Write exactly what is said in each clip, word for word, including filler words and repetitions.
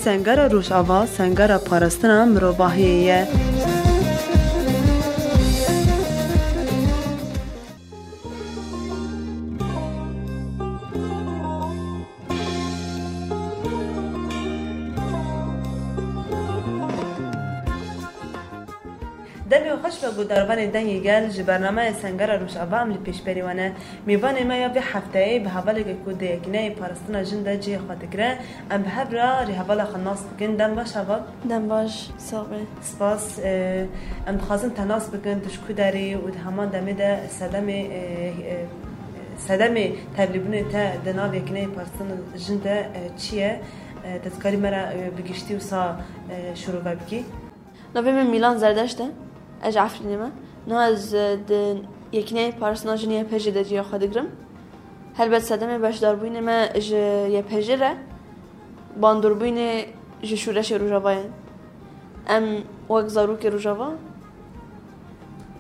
Sengera Rojava, sengera parastina mirovahiyê ye. Demê we xweş be guhdarvanê Dengê Gel, ji bernameya Sengera Rojava em li pêşberî we ne. Mêvanê me ya vê hefteyê bi hevaleke ku di Yekîneyê Parastina Jin de cihê xwe digire, em bi hev re rêhevala xwe nas bikin. Dem baş heval. Dem baş, sax be. Spas. E, em dixwazin te nas bikin, tu ji ku derê û di heman demê de sedemê, e, e, sedemê tevlîbûnê te di nav Yekîneyê Parastina Jin de, e, çi ye? E, te dikarî me re, e, bi giştî wisa, e, şirove bikî? Navê min Mîlan Zerdeşt e. Ez ji Efrînê me. Niha ez, e, di Yekîneyê Parastina Jin Y P J de cihê xwe digirim. Helbet sedemê beşdarbûyînê me ji Y P J re bandoribûyînê ji şûreşê Rojava ye. Em wek zarokê Rojava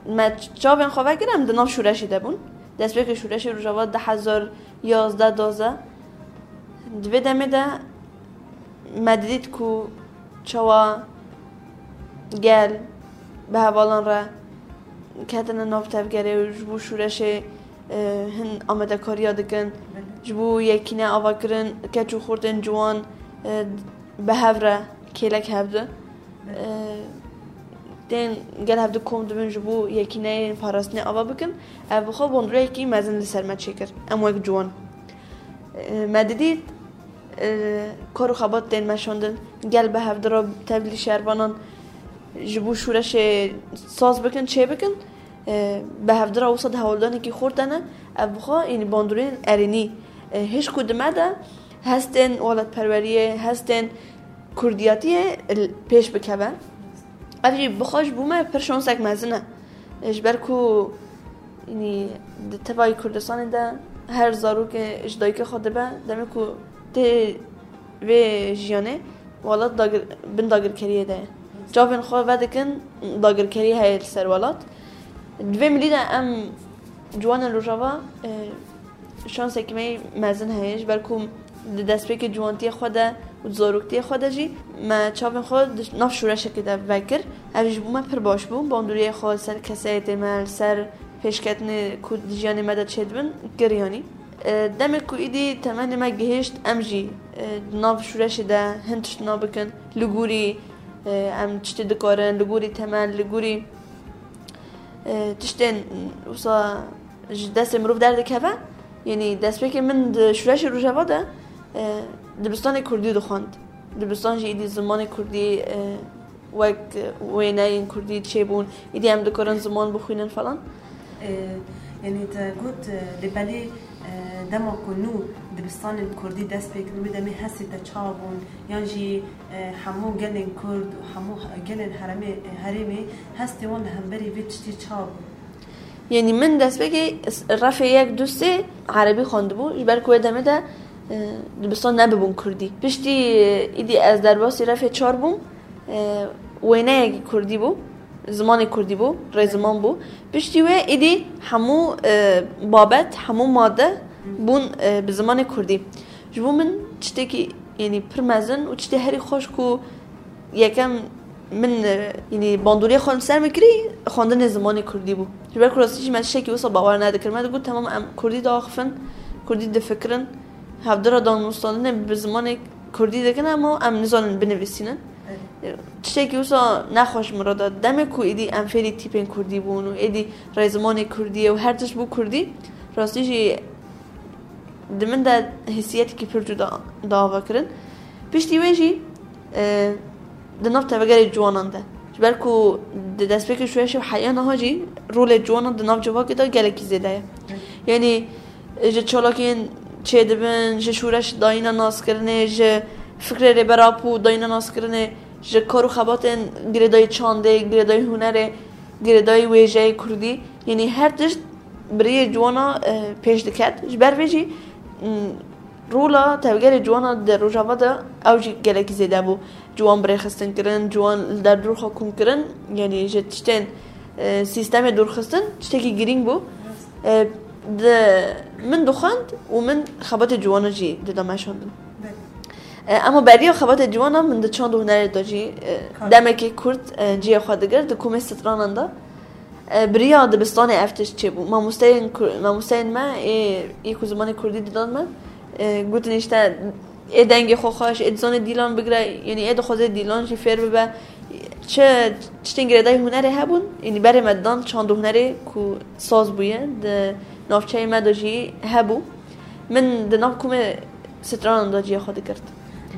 me çavên xwe vekir, em di nav şûreşê de bûn. Destpêkê şûreşê Rojava du hezar yazdeh duwazdeh. Di vê demê de me didît ku çawa gel bi hevalan re ketine nav tevgerê û ji bo şûreşê, e, hin amadekariya dikin. Ji bo yekîne avakirin, keç û xortên ciwan, e, bi hev re kêlek hev di. E, tên gel hev di kom dibin ji bo yekîneyên parastinê ava bikin. Ev bi xwe bandoriyekî mezin li ser me çêkir. Em wek ciwan, e, me didît, e, kar û xebat tên meşandin. Gel bi hevdira tevlî şervanan ji bo şûreşê saz bikin, çê bikin. E, bi hevdira wisa di hewldanekî xurt de ne. Ev bi xwe, yanî bandoriyên erênî, e, hişk û di me de hestên welatperweriyê, hestên kurdiyatiyê li pêş bikeve. Ev jî bi xwe ji bo me pir şansek mezin e. Ji ber ku, yanî, di tevayî Kurdistanê de her zarokê ji dayikê xwe dibe, demê ku tê vê jiyanê, welat dagir-, bin dagirkeriyê de ye. Çavên xwe vedikin, dagirkerî heye li ser welat. Di vê milî de em ciwanên Rojava, e, şansekî me yî mezin heye, ji ber ku di destpêkê ciwantiyê xwe de û di zaroktiyê xwe de jî me çavên xwe di nav şûreşekê de vekir. Ev jî ji bo me pir baş bû. Bandoriyê xwe li ser kesayetê me, li ser pêşketinê ku di jiyanê me de çêdibin, kir yanî. E, demê ku îdî temenê me gihişt, em jî, e, di nav şûreşê de hin tiştna bikin. Li gorî, e, em tiştê dikarin, li gorî temel, li gorî, e, tiştên wisa ji destê mirov derdikeve. Yanî destpêkê min di şûreşê Rojava de, e, dibistanê kurdî dixwend. Dibistan jî îdî zimanê kurdî, e, wek wêneyên kurdî çêbûn. Îdî em dikarin ziman bixwînin falan. E, yanî te got, e, lê belê, e, dema ku nû dibistanên kurdî dest pê kirin, wê demê hestê te çawa bûn? Yan jî, e, hemû gelên kurd û hemû gelên heremê, herêmê hestê wan li hemberî vê tiştî çawa bû? Yanî min destpêkê s-, refê yek, du, sê erebî xwendibû, ji ber ku wê demê de, e, dibistan nebibûn kurdî. Piştî, e, îdî ez derbasî refê çar bûm, e, wêneyekî kurdî bû, zimanê kurdî bû, rêziman bû. Piştî wê îdî hemû, e, babet, hemû made bûn, e, bi zimanê kurdî. Ji bo min tiştekî, yanî pir mezin û tiştê herî xweş ku yekem min, e, yanî bandoriyê xwe li ser min kirî, xwendinê zimanê kurdî bû. Ji ber ku rastî jî me tiştekî wisa bawer nedikir. Me digot, temam, em kurdî diaxifin, kurdî difikirin, hevdira danûstandinê bi zimanê kurdî dikin, ama em nizanin binivîsînin. Evet. Tiştekî wisa nexweş min re da. Demê ku êdî em fêrî tîpên kurdî bûn û êdî rêzimanê kurdî ye û her tişt bû kurdî, rastî jî di min de hîsiyetekî pir cuda da ava kirin. Piştî wê jî, e, di nav tevgerê ciwanan de. Ji ber ku di destpêkê şûreşê û heya niha jî rolê ciwanan di nav civakê de gelekî zêde ye. Yanî, e, ji çalakiyên çêdibin, ji şûreş dayîna naskirinê, ji fikrê Rêber Apo dayîna naskirinê, ji kar û xebatên girêdayî çandê, girêdayî hunerê, girêdayî wêjeyê kurdî, yanî her tişt bi rêyê ciwana, e, pêş diket. Ji ber vê jî, m, rola tevgerê ciwana di Rojava de ew jî gelekî zêde bû. Ciwan bi rêxistin kirin, ciwan li derdor xwe kom kirin, yanî ji tiştên, e, sîstemê dorxistin tiştekî girîng bû. E, di, min dixwend û min xebatê ciwanan jî dida meşandin. Belê. E, Ema beriya xebatê ciwanan min di çand û hunerê de jî, e, Kar. demekî kurt, e, cihê xwe digirt di komê stranan de. E, bi riya dibistanê ev tişt çêbû. Mamosteyên Kur-, mamosteyên me ê, ê ku zimanê kurdî didan me, e, gotin işte ê dengê xwe xweş, ê dizanê dîlan bigire, yanî ê dixwaze dîlan jî fêr bibe. Çi tiştên girêdayî hunerê hebûn, yanî berê me didan çand û hunerê ku saz bûye, di navçeyê me de jî hebû. Min di nav komê stranan de cihê xwe digirt.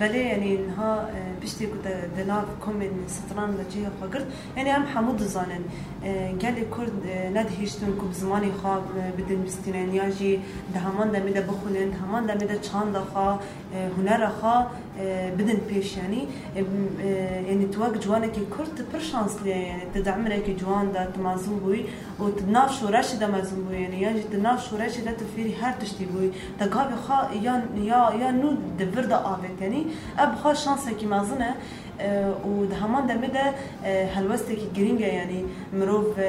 Belê, yanî niha, e, piştî ku te di nav komên stran de cihê xwe girt, yanî em hemû dizanin, e, gelê Kurd, e, nedihiştin ku bi zimanê xwe, e, bidin bistînin ya jî di heman demê de bixwînin, di heman demê de çanda xwe, e, hunera xwe, e, bidin pêş, yanî. E, m-, e, yanî tu wek ciwanekî Kurd tu pir şansliye, yanî tu di emirekî ciwan de tu mezin bûyî û tu di nav şoreşê de mezin bûyî, yanî ya jî tu nav şoreşê de tu fêrî her tiştî bûyî. Te gavê xwe ya, ya, ya nû di vir de avêt, yanî ev bi xwe şansekî mezin e, e, û di heman demê de, e, helwestekî girîng e, yanî mirov, e,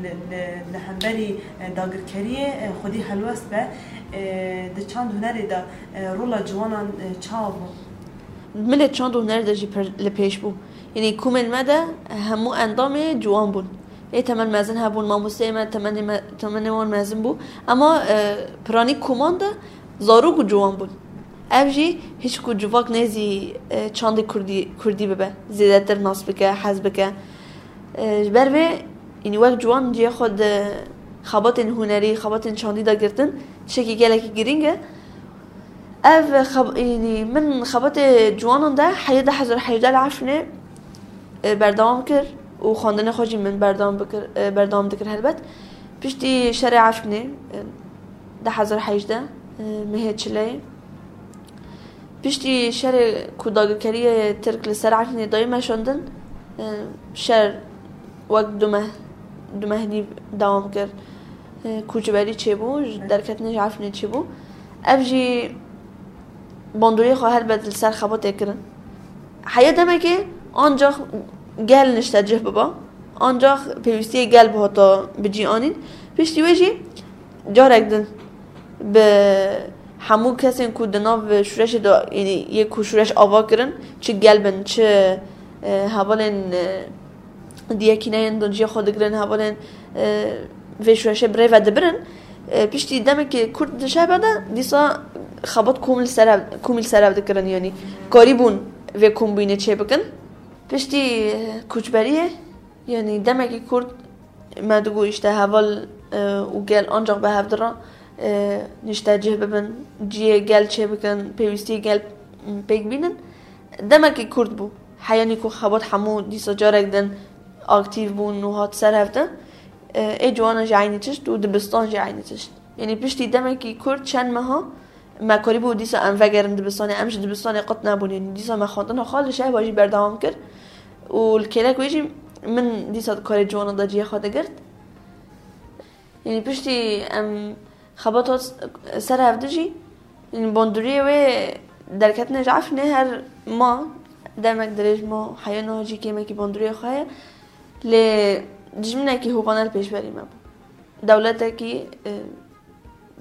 li, li, li hemberî, e, dagirkeriyê, e, xwedî helwest be, e, di çand hunerê de, e, rola ciwanan, e, çawa bû? Milê çand û hunerê de jî pir li pêş bû. Yanî komên me de hemû endamê ciwan bûn. Ê temel mezin hebûn, mamosteyê me temenê me, temenê wan mezin bû. Ema, e, piranî koman de zarok û ciwan bûn. Ev jî hişk û civak nêzî, e, çandê kurdî, kurdî bibe. Zêdetir nas bike, hez bike. E, ji ber vê, yanî wek ciwan cihê xwe di xebatên hunerî, xebatên çandî de girtin, tiştekî gelekî girîng e. Ev xeb-, yanî min xebatê ciwanan de heya du hezar hejdeh li Efrînê, e, berdewam kir û xwendinê xwe jî min berdewam bikir, e, berdewam dikir helbet. Piştî şerê Efrînê, e, du hezar hejdeh, e, mehê çileyê. Piştî şerê ku dagirkeriyê Tirk li ser Efrînê dayî meşandin, e, şer wek du meh, du meh nîv dewam kir. E, koçberî çêbû, ji derketinê ji Efrînê çêbû. Ev jî bandoriyê xwe helbet li ser xebatê kirin. Heya demekê ancax gel niştecih biba, ancax pêwîstiyê gel bihata bi cî anîn. Piştî wê jî carek din bi hemû kesên ku di nav şûreşê de, yanî yê ku şûreş ava kirin, çi gel bin, çi, e, hevalên, e, di yekîneyên de cihê xwe digirin, hevalên, e, vê şûreşê bi rê ve dibirin. E, piştî demekê kurt di şehba de dîsa xebat komî li ser hev, komî li ser hev dikirin, yanî karîbûn vê kombînê çêbikin. Piştî, e, koçberiyê, yanî demekî kurt me digot, işte, heval, e, û gel ancax bi hev di re, e, niştecih bibin, cihê gel çêbikin, pêwîstiyê gel, m, pêk bînin. Demekî kurt bû. Heyanî ku xebat hemû dîsa carek din aktîf bûn û hat ser hev de, e, ê ciwanan jî eynî tişt û dibistan jî eynî tişt. Yanî piştî demekî kurt, çend meha, me karîbû dîsa em vegerin dibistanê, em ji dibistanê qut nebûn. Yanî dîsa me xwendina xwe li şehba jî berdewam kir û li kêlek wê jî min dîsa di karê ciwanan de cihê xwe digirt. Yanî piştî em xebat hat ser hev de jî, yanî bandoriyê wê derketinê ji Efrînê her ma, demek dirêj ma, heya niha jî kêmekî bandoriyê xwe heye. Lê dijminekî hovane li pêşberî me bû. Dewletekî, e,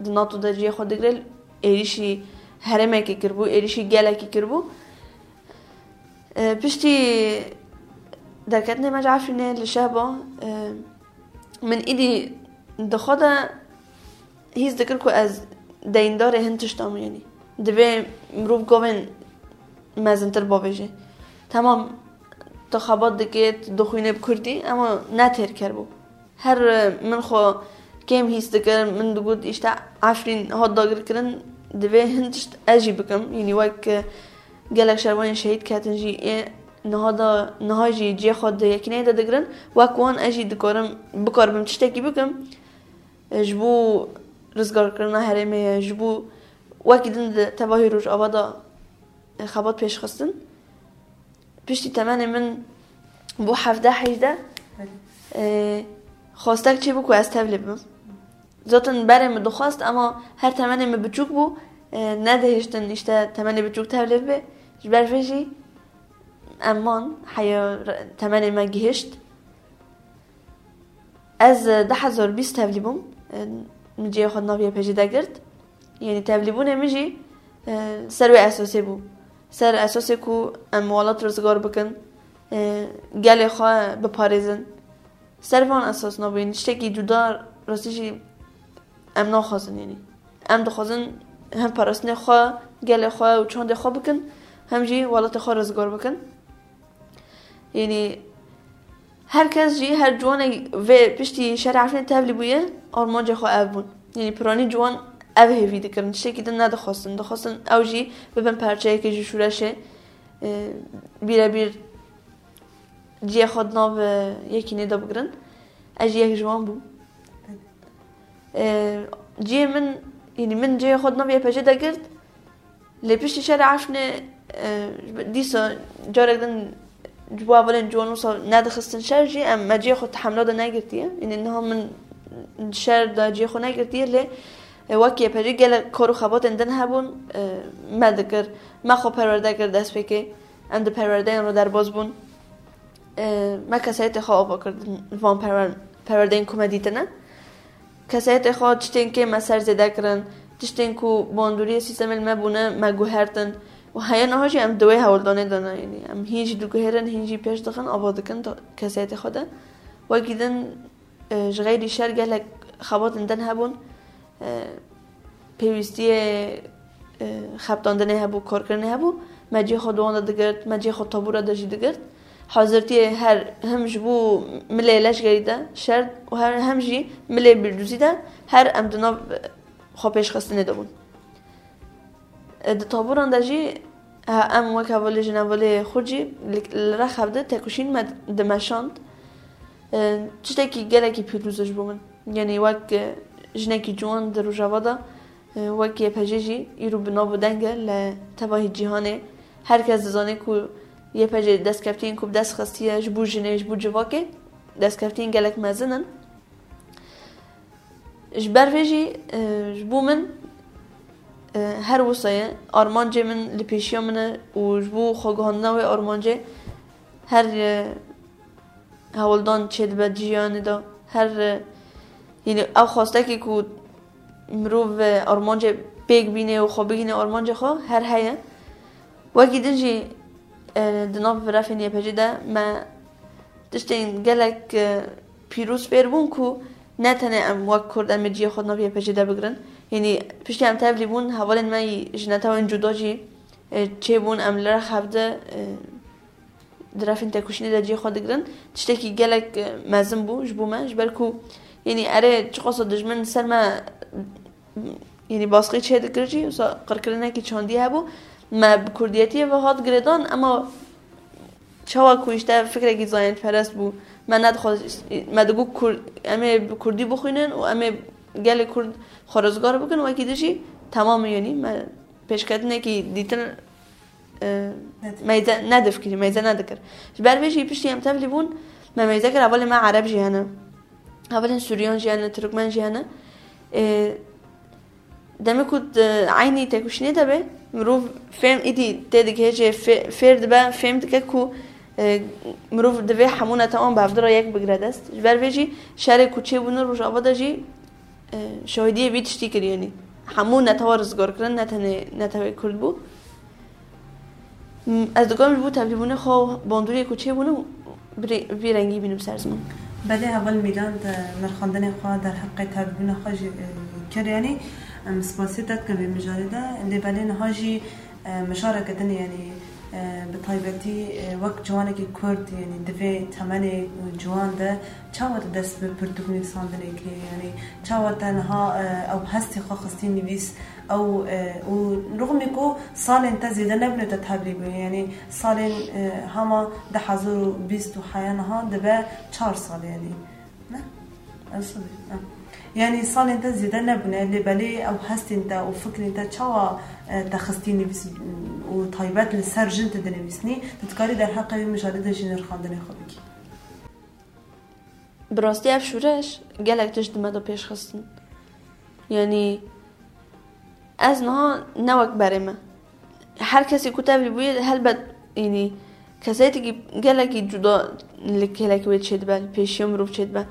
di NATO de cihê xwe digire, êrîşî herêmekê kiribû, êrîşî gelekî kiribû. E, piştî derketinê me ji Efrînê li şehba, e, min îdî di xwe de hîs dikir ku ez deyîndarê hin tiştan im, yanî divê mirov gavên mezintir bavêje. Temam, tu xebat dikê, tu dixwînê bi kurdî, ema ne têrker bû. Her, e, min xwe kêm hîs dikir, min digot, işte, Efrîn hat dagirkirin, divê hin tişt ez jî bikim. Yanî wek, e, gelek şervanên şehîd ketin jî ê niha da, niha jî cihê xwe di yekîneyê de digirin. Wek wan ez jî dikarim, bikaribim tiştekî bikim. E, ji bo rizgarkirina herêmê ye, ji bo wekî din di tevahî Rojava de, e, xebat pêşxistin. Piştî temenê min bû hevdeh hejdeh, e, xwestek çêbû ku ez tevlî bibim. Zaten berê min dixwest, ema her temenê min biçûk bû, e, nedihiştin, işte, temenê biçûk tevlî bibe. Ji ber vê jî em man, heya re-, temenê me gihişt. Ez, e, du hezar bîst tevlî bûm. E, min cihê xwe di nav Y P G de girt. Yanî tevlîbûnê min jî, e, ser wê esasê bû. Ser esasê ku em welat rizgar bikin, e, gelê xwe biparêzin. Ser van esas nabû, yanî tiştekî cuda rastî jî em naxwazin, yanî. Em dixwazin hem parastinê xwe, gelê xwe û çandê xwe bikin, hem jî welatê xwe rizgar bikin. Yanî her kes jî, her ciwanek vê piştî şerê Efrînê tevlî bûye, armancê xwe ev bûn. Yanî piranî ciwan ev hêvî dikirin, tiştekî din nedixwestin. Dixwestin ew jî bibin parçeyekê ji şûreşê, e, bîrebîr cihê xwe di nav, e, yekînê de bigirin. Ez jî yek ji wan bûm. E, cihê min, yanî min cihê xwe di nav Y P G de girt. Lê piştî şerê Efrînê, e, dîsa carek din ji bo hevalên ciwan wisa nedixistin şer jî, em, me cihê xwe di hemla de negirtiye. Yanî niha min şer de cihê xwe negirtiye, lê, e, wek Y P G gelek kar û xebatên din hebûn, e, me dikir. Me xwe perwerde kir destpêkê. Em di perwerdeyan re derbas bûn. E, me kesayetê xwe ava kir di van perwer-, perwerdeyên ku me dîtine. Kesayetê xwe, tiştên kê me ser zêde kirin, tiştên ku bandoriyê sîstemê li me bûne, me guhertin. Û heya niha jî em di wê hewldanê de ne, yanî em hîn jî diguherin, hîn jî pêş dixin, ava dikin da-, kesayetê xwe de. Wekî din, e, ji xeyrî şer gelek xebatên din hebûn. E, pêwîstiyê, e, xebitandinê hebû, karkirinê hebû, me cihê xwe di wan de digirt, me cihê xwe tabûra de jî digirt. Hazirtiyê her, hem ji bo milê leşgerî de şer û her, hem jî milê bîrdûzî de her em di nav xwe pêşxistinê de bûn. E, di tabûran de jî, ha, em wek hevalê, jinhevalê xwe jî li, li Rexev de tekoşîn me dimeşand. E, tiştekî gelekî pîroz e ji bo min. Yanî wek, e, jinekî ciwan di Rojava de, e, wek Y P G jî îro bi nav û deng e li tevahî cîhanê. Her kes dizane ku Y P G destkeftiyên ku bi dest xistiye ji bo jinê, ji bo civakê, destkeftiyên gelek mezin in. Ji ber vê jî, e, ji bo min, e, her wisa ye. Armancê min li pêşiya min e û ji bo xweguhandina wê armancê her, e, hewldan çêdibe di jiyanê de. Her, e, yanî ew xwestekê ku mirov, e, armancê pêk bîne û xwe bigihîne armancê xwe her heye. Wekî din jî, e, di nav refên Y P G de me tiştên gelek, e, pîroz fêr bûn ku ne tenê em wek Kurd em ê cihê xwe di nav Y P G de bigirin. Yanî piştî em tevlî bûn, hevalên me yî ji netewên cuda jî, e, çêbûn, em li Rexev de, e, di refên tekoşînê de cihê xwe digirin. Tiştekî gelek, e, mezin bû ji bo me, ji ber ku, yanî erê çiqasa dijmin ser me, yanî baskî çê dikir jî, wisa qirkirinekî çandî hebû. Me bi kurdiyetiyê ve hat girêdan, ema çawa ku îşte fikrekî zayendperest bû, me nedixwest, me digot Kurd, em ê bi kurdî bixwînin û em ê gelê Kurd xwe rizgar bikin, wekî din jî temam e, yanî me pêşketinekî dîtin, e, Nedir. meyze nedifkirî, meyze nedikir. Ji ber vê jî piştî em tevlî bûn, me meyze kir, hevalên me Ereb jî hene. Hevalên Suryan jî hene, Tirkmen jî hene. E, demê ku di eynî tekoşînê de be, mirov fêm îdî tê digihêje, fê-, fêr dibe, fêm dike ku, e, mirov divê hemû netewan bi hevdira yek bigire dest. Ji ber vê jî şerê ku çêbûne Rojava de jî, e, şahidiyê vî tiştî kiriye, yanî hemû netewa rizgar kirin, ne tenê netewê Kurd bû. M-, ez dikarim ji bo tevlîbûnê xwe û bandoriyê ku çêbûne bi rê-, vî rengî bînim ser ziman. Belê heval Mîlan di nirxandinê xwe derheqê tevlîbûna xwe jî, e, kir, yanî, em spasiyê te dikin vê mijarê de. Lê belê niha jî, e, mijareke din, yanî, e, bi taybetî, e, wek ciwanekî Kurd, yanî di vê temenê ciwan de çawa te dest bi pirtûk nivîsandinê kiriye? Yanî çawa te niha, e, ew hestê xwe xistî nivîs, ew, e, û rixmî ku salên te zêde nebûne te tevlî bûye, yanî salên, e, hema du hezar û bîst û heya niha dibe çar sal, yanî. Ne? Ew sibê, ha. Yanî salên te zêde nebûne, lê belê ew hestên te û fikrên te çawa, e, te xistî nivîs û taybet li ser jin tu dinivîsnî, tu dikarî derheqê wê mijarê de jî nirxandinê xwe bikî? Bi rastî ev şûreş gelek tişt di me de pêş xistin. Yanî ez niha ne wek berê me. Her kesê ku tevlî bûye, helbet, yanî, kesayetîkî gelekî cuda li kêlekî wê çêdibe, li pêşiya mirov çêdibe.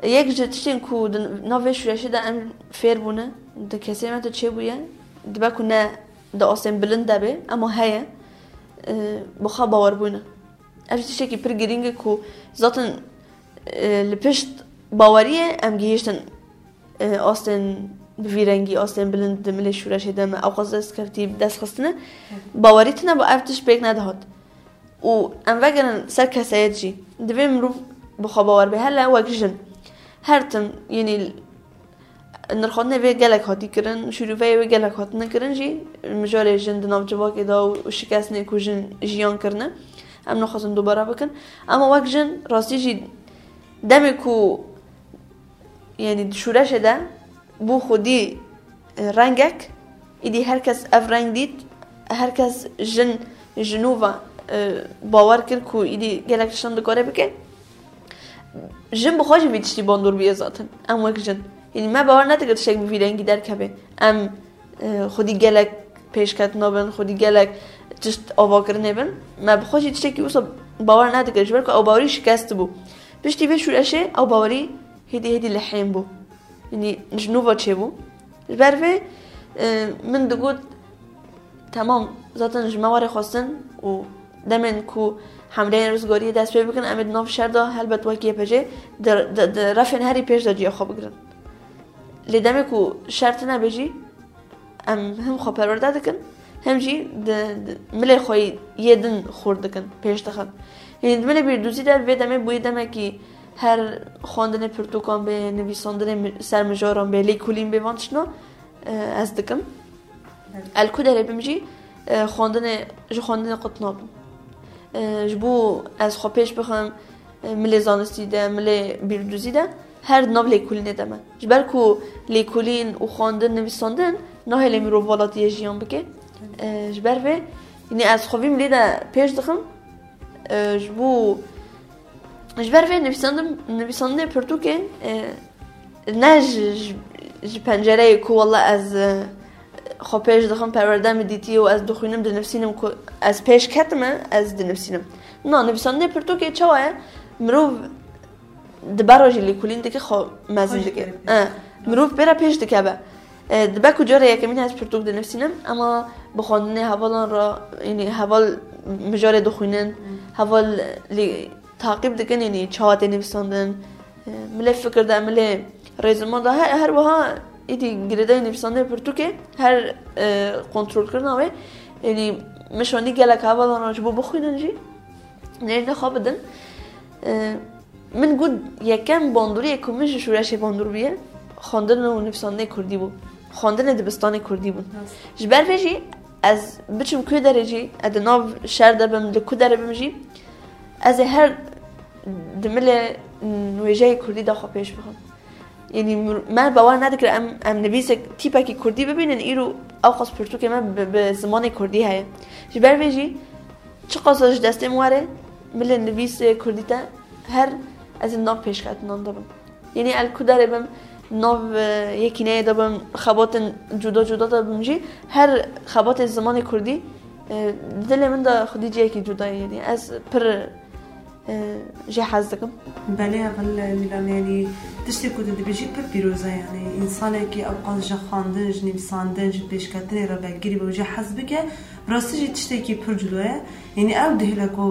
Yek ji tiştên ku di nav vê şûreşê de em fêr bûne, di kesê me de çêbûye, dibe ku ne di astên bilind de be, ema heye, e, bi xwe bawerbûne. Ev jî tiştekî pir girîng e ku zaten, e, li pişt baweriyê em gihîştin, e, astên bi vî rengî, astên bilind di milê şûreşê de me ewqas dest kevtî dest xistine. Bawerî tune bû, ev tişt pêk nedihat. Û em vegerin ser kesayet jî. Divê mirov bi xwe bawer be, hele wek jin. Her tim, yanî nirxandinê vê gelek hatî kirin, şîroveyê wê gelek hatine kirin jî, mijarê jin di nav civakê de û şikestinê ku jin jiyan kirine, em naxwazin dubare bikin. Ema wek jin, rastî jî demê ku, yanî di şûreşê de bû xwedî, e, rengek, îdî her kes ev reng dît, her kes jin, jinûva, e, bawer kir ku îdî gelek tiştan dikare bike. Jin bi xwe jî vî tiştî bandor bûye zaten. Em wek jin. Yanî me bawer nedikir tiştek bi vî rengî derkeve. Em, e, xwedî gelek pêşketina bin, xwedî gelek tişt avakirinê bin. Me bi xwe jî tiştekî wisa bawer nedikir. Ji ber ku ew bawerî şikestibû. Piştî vê şûreşê ew bawerî hêdî hêdî lihên bû. Yanî ji nû ve çêbû. Ji ber vê, e, min digot, temam, zaten ji me warê xwestin û demên ku hemleyên rizgariyê dest pê bikin, em ê di nav şer de helbet wek Y P G di, di, di refên herî pêş de ciya xwe bigirin. Lê demê ku şer tune be jî, em him xwe perwerde dikin, him jî di, di milê xwe yê din xurt dikin, pêş dixin. Yanî di milê bîrdûzî de vê demê bûyî demekî her xwendinê pirtûkan bê, nivîsandinê mi-, ser mijaran bê, lêkolîn bê, van tiştna, e, ez dikim. Evet. El ku derê bim jî, e, xwendinê, ji xwendinê qut nabim. E, ji bo ez xwe pêş bixim, e, milê zanistî de, milê bîrdûzî de, her di nav lêkolînê de me. Ji ber ku lêkolîn û xwendin, nivîsandin nahêle mirov welatiyê jiyan bike. E, ji ber vê, yanî ez xwe vî milê de pêş dixim, e, ji bo, ji ber vê nivîsandin, nivîsandinê pirtûkê, e, ne ji, ji, ji pencereyê ku wela ez, e, xwe pêş dixim, perwerde min dîtiye û ez dixwînim, dinivîsînim ku ez pêş ketime, ez dinivîsînim. Na, nivîsandinê pirtûkê çawa ye? Mirov di ber re jî lêkolîn dike, xwe mezin dike. Xwe jî pêş. E, mirov pê re pêş dikeve. E, dibe ku cara yekemîn ez pirtûk dinivîsînim, ema bi xwendinê hevalan re, yanî heval mijarê dixwînin, Hmm. heval lê taqîb dikin, yanî çawa tê nivîsandin, e, milê fikir de, milê rêzima de, her, her wiha êdî girêdayî nivîsandinê pirtûkê, her, e, kontrolkirina wê, yanî min şandî gelek hevalan re ji bo bixwînin jî, nêrîna xwe bidin. E, min got, yekem bandoriyê ku min ji şûreşê bandor bûye, xwendin û nivîsandinê kurdî bû. Xwendinê dibistanê kurdî bûn. Rast. Ji ber vê jî ez biçim ku derê jî, ez di nav şer de bim, li ku derê bim jî, ez ê her di milê wêjeyê kurdî de xwe pêş bixim. Yanî mir-, me bawer nedikir em, em nivîsek tîpekî kurdî bibînin, îro ewqas pirtûkê me bi, bi zimanê kurdî heye. Ji ber vê jî çiqas ji destê min were, milê nivîsê kurdî te her ez ê nav pêşketinan de bim. Yanî el ku derê bim, nav, e, yekîneyê de bim, xebatên cuda cuda de bim jî, her xebatê zimanê kurdî, e, di dilê min de xwedî cihekî cuda ye. Yanî ez pir, e, jê hez dikim. Belê, heval Mîlan, yanî tiştê ku tu dibêjî pir pîroz e, yanî însanekî ewqas ji xwendin, ji nivîsandin, ji pêşketinê re vegirî be û jê hez bike, bi rastî jî tiştekî pir cuda ye. Yanî ew dihêle ku,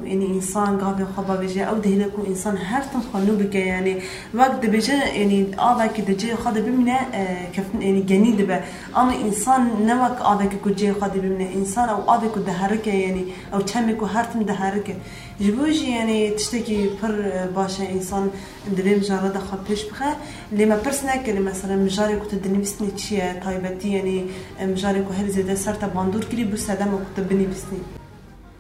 yanî însan gavê xwe bavêje, ew dihêle ku însan her tim xwe nû bike, yanî wek dibêje, yanî avekî di cihê xwe de bimîne, e, keftin, yanî genî dibe. Ama însan ne wek avekî ku cihê xwe de bimîne. Însan ew avê ku diherike, yanî ew çemê ku her tim diherike. Ji bo jî, yanî tiştekî pir, e, baş e însan di vê mijara de xwe pêş bixe. Lê me pirs nekirî, mesela mijarê ku tu dinivîsnî çi ye, taybetî, yanî, e, mijarê ku herî zêde ser te bandor kirî bû sedema ku tu binivîsnî.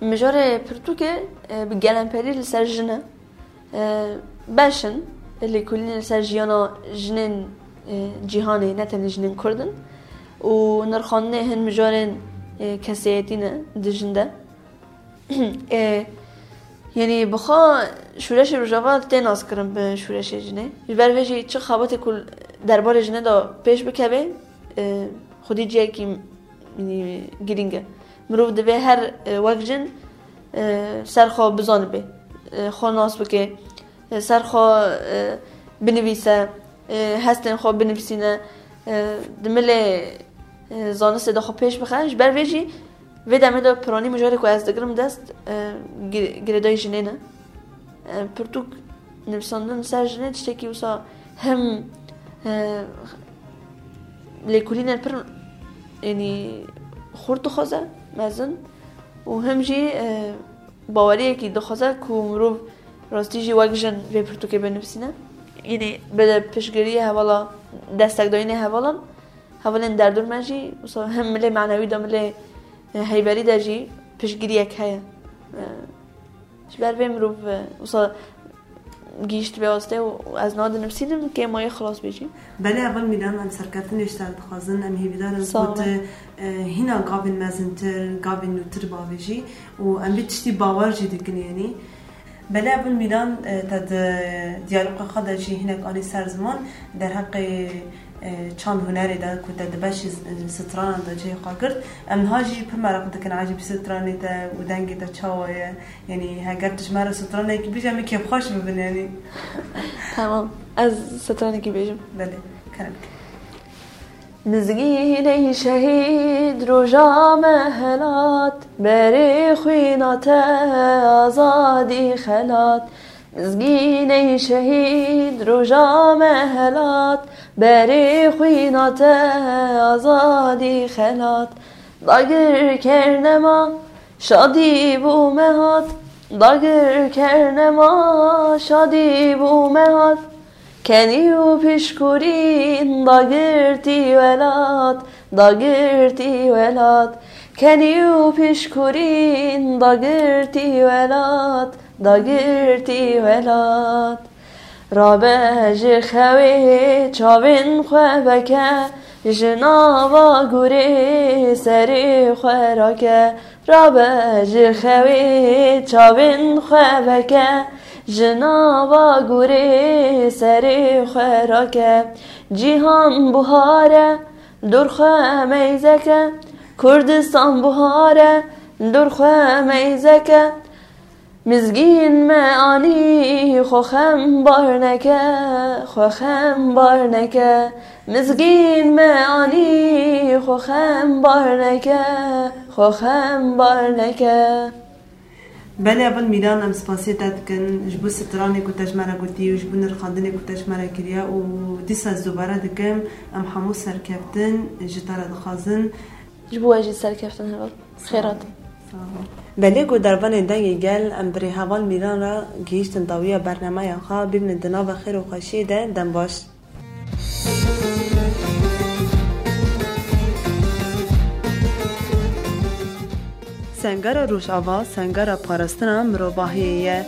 Mijarê pirtûkê, e, bi gelemperî li ser jin e. E, beş in, lêkolînê li ser jiyana jinên, e, cîhanê, ne tenê jinên kurd in. Û nirxandinê hin mijarên, e, kesayetî ne di jin de. E, yanî bi xwe şûreşê Rojava tê naskirin bi şûreşê jinê. Ji ber vê jî çi xebatê ku derbarê jinê de pêş bikeve, e, xwedî cihekî, yanî, girîng e. Mirov divê her, e, wek jin, e, ser xwe bizanibe, e, xwe nas bike, e, ser xwe, e, binivîse, e, hestên xwe binivîsîne, e, di milê e, zanistê de xwe pêş bixe. Ji ber vê jî vê demê de piranî mijarê ku ez digirim dest, e, gir-, girêdayî jinê ne. E, pirtûk nivîsandin ser jinê tiştekî wisa hem, e, lêkolînên pir, yanî xurt dixwaze, mezin û hem jî, e, baweriyekî dixwaze ku mirov rastî jî wek jin vê pirtûkê binivîsîne. Yanî bi piştgiriyê hevala, destekdayînê hevalan, hevalên derdor me jî, wisa hem milê manewî de, milê, e, heyberî de jî piştgiriyek heye. E, ji ber vê mirov, e, wisa gihîşt vê astê û ez niha dinivîsînim, kêmayê xilas bê jî. Belê, heval Mîran, em serkeftinê ji te re dixwazin, em hêvîdar in Sağ ku olun. tu, e, hîna gavên mezintir, gavên nûtir bavêjî û em vê tiştî bawer jî dikin, yanî. Belê, heval Mîran, e, te di diyaloga xwe de jî hinek anî ser ziman, derheqê, e, çand hunerê de ku te di beşî z-, e, stranan de cihê xwe girt. Em niha jî pir meraq dikin ecêbî stranê te û dengê te çawa ye. Yanî heger tu ji me re stranekî bêjî, em ê kêfxweş bibin, yanî. Tamam, ez stranekî bêjim. Belê, kerem ke. Mizgînê şehîd roja me helat, berê xwîna te azadî xelat. Mizgînê şehîd roja me helat, berê xwîna te azadî xelat. Dagir kernema şadî bû me hat, dagir kernema şadî bû me hat. Kenî û pişkurîn dagirtî welat, dagirtî welat. Kenî û pişkurîn dagirtî welat, dagirtî welat. Rabe ji xewê çavên xwe veke, ji nava gurê serê xwe rake. Rabe ji xewê çavên xwe veke, ji nava gurê serê xwe rake. Cîhan buhar e, li dor xwe meyzeke, Kurdistan buhar e, li dor xwe meyzeke. Mizgîn me anî xwe xem bar neke, xwe xem bar neke. Mizgîn me anî xwe xem bar neke, xwe xem bar neke. Belê, heval Mîran, em spasiyê te dikin ji bo stranê ku te ji me re gotî û ji bo nirxandinê ku te ji me re kiriye û dîsa ez dubare dikim, em hemû serkeftin ji te re dixwazin. Ji bo we jî serkeftin heval. Xêrat. Sağ ol. Belê ku dervanên Dengê Gel em bi rê heval Mîran re gihîştin dawiya bernameya xwe, bimînin di nava xêr û xweşiyê de, dem baş. Sengera Rojava, sengera parastina mirovahiyê ye.